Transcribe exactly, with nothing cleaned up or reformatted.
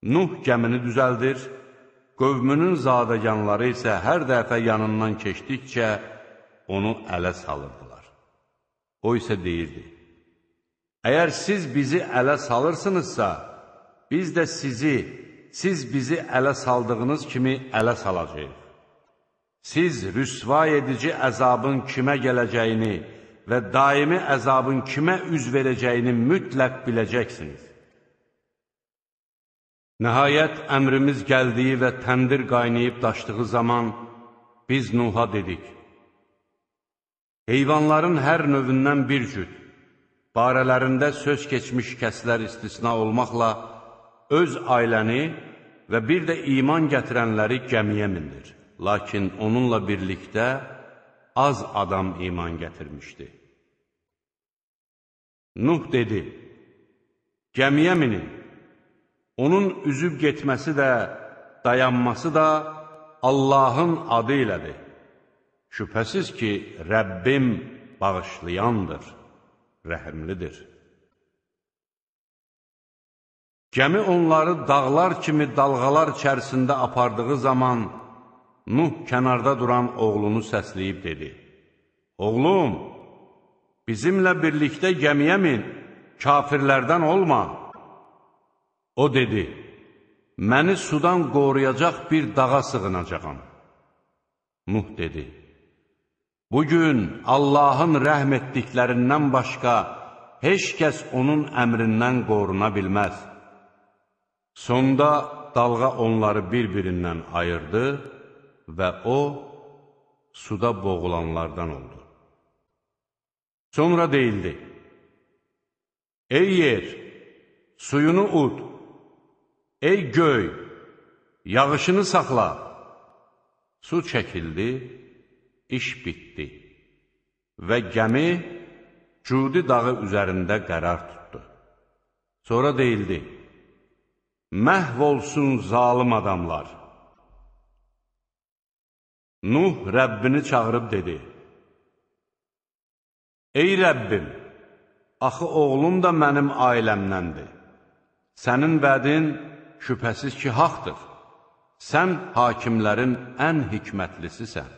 Nuh gəmini düzəldir, qövmünün zadəganları isə hər dəfə yanından keçdikcə onu ələ salırdılar. O isə deyirdi, əgər siz bizi ələ salırsınızsa, biz də sizi, siz bizi ələ saldığınız kimi ələ salacağıq. Siz rüsva edici əzabın kimə gələcəyini və daimi əzabın kimə üz verəcəyini mütləq biləcəksiniz. Nəhayət, əmrimiz gəldiyi və təndir qaynayıb daşdığı zaman biz Nuh'a dedik, heyvanların hər növündən bir cüt, barələrində söz keçmiş kəslər istisna olmaqla öz ailəni və bir də iman gətirənləri gəmiyə mindir. Lakin onunla birlikdə az adam iman gətirmişdi. Nuh dedi, gəmiyə minin, onun üzüb getməsi də, dayanması da Allahın adı ilədir. Şübhəsiz ki, Rəbbim bağışlayandır, rəhimlidir. Gəmi onları dağlar kimi dalğalar içərisində apardığı zaman Nuh kənarda duran oğlunu səsləyib dedi, oğlum, bizimlə birlikdə gəmiyə min, kafirlərdən olma. O dedi, məni sudan qoruyacaq bir dağa sığınacağam. Nuh dedi, bugün Allahın rəhm etdiklərindən başqa heç kəs onun əmrindən qoruna bilməz. Sonda dalğa onları bir-birindən ayırdı və o, suda boğulanlardan oldu. Sonra deyildi, ey yer, suyunu ud, ey göy, yağışını saxla. Su çəkildi, iş bitdi və gəmi Cudi dağı üzərində qərar tutdu. Sonra deyildi, məhv olsun zalım adamlar. Nuh Rəbbini çağırıb dedi, ey Rəbbim, axı oğlum da mənim ailəmdəndir. Sənin vədin şübhəsiz ki, haqdır. Sən hakimlərin ən hikmətlisisən.